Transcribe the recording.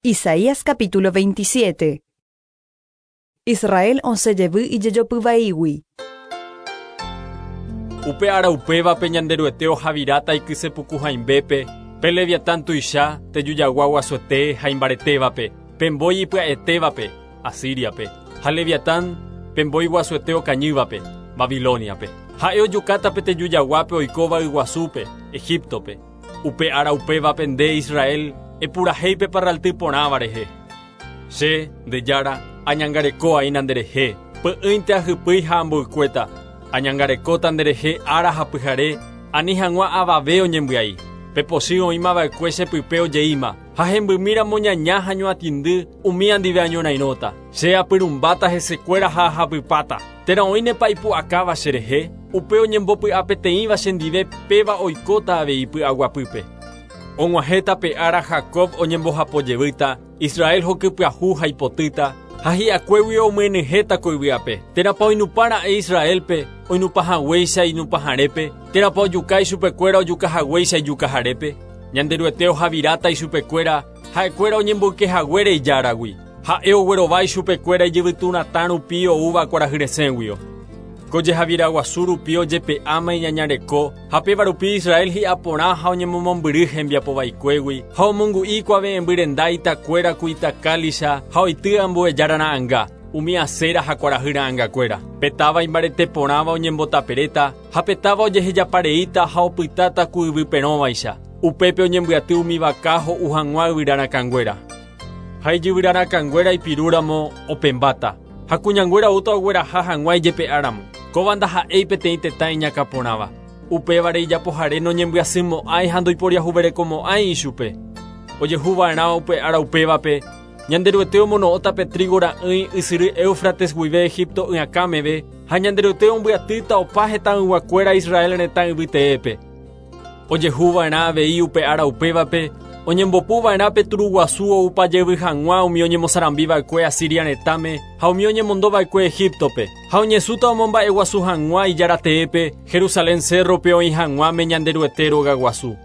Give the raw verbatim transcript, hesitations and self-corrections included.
Isaías capítulo veintisiete. Israel osẽ jevy ijejopyvaígui. Upe ára upévape Ñanderuete ohaviráta ikysepuku hãimbépe, pe Leviatán tuicha, tejujagua guasuete ha imbaretévape, pe mbói ipya'etévape, Asíriape, ha Leviatán pe mbói guasuete okañývape, Babilóniape. Ha'e ojukáta pe tejujaguápe oikóva yguasúpe, Egiptope. Upe ára upévape nde Israel, epurahéi pe parralty porãva rehe. Che, nde Jára, añangareko aína nderehe, py'ỹinte ahypýi ha amboykuéta, añangarekóta nderehe ára ha pyhare, ani hag̃ua avave oñembyai. Pe pochy oĩmava'ekue chepype ojeíma, ha hembymíramo ñaña ha ñoatĩndy umi andive añorairõta. Che apyrumbáta hesekuéra ha ahapypáta. Térã oĩnepa ipu'akáva cherehe, upe oñembopy'apeteĩva chendive péva oikóta avei py'aguapýpe. Og̃uahẽta pe ára Jacob oñembohapojevýta, Israel hokypyahu ha ipotýta, ha hi'akuégui omyenyhẽta ko yvy'ape. Térãpa oinupãra'e Israelpe, oinupãhaguéicha inupãharépe, térãpa ojuka ichupekuéra ojukahaguéicha ijukaharépe. Ñanderuete ohaviráta ichupekuéra, ha'ekuéra oñemboykehaguére ijáragui. Ha'e oguerova ichupekuéra ijyvyturatã rupi oúva kuarahyresẽguio. Ko jehaviraguasu rupi ojepe'áma iñañareko, ha péva rupi Israel hi'aporã ha oñemomombyry hembiapovaikuégui, ha omongu'i kuave'ẽmby itakuéra ku itakálisa ha oity ambuejára ra'ãnga, umi Asera ha kuarahy ra'ãngakuéra. Pe táva imbarete porãva oñembotaperéta, ha pe táva ojehejapareíta ha opytáta ku yvyperõvaicha. Upépe oñembyaty umi vaka ho'u hag̃ua yvyrarakãnguéra. Ha ijyvyrarakãnguéra ipirúramo opẽmbáta, ha kuñanguéra oúta ogueraha hag̃ua ijepe'áramo. Kóva ndaha'éi peteĩ tetã iñakãporãva. Upévare ijapohare noñembyasymo'ãi ha ndoiporiahuverekomo'ãi ichupe. Ojehuva'erã upe ára upévape, Ñanderuete omono'õta pe trigo ra'ỹi ysyry Éufrates guive Egipto y'akãmeve, ha Ñanderuete ombyatýta opa hetãyguakuéra Israel retã yvyteépe. Ojehuva'erã avei upe ára upévape, oñembopuva'erã pe turuguasu oupajevy hag̃ua umi oñemosarambiva'ekue Asiria retãme ha umi oñemondova'ekue Egiptope, ha oñesũta omomba'eguasu hag̃ua ijarateépe, Jerusalén cerrope oĩ hag̃uáme Ñanderuete rogaguasu.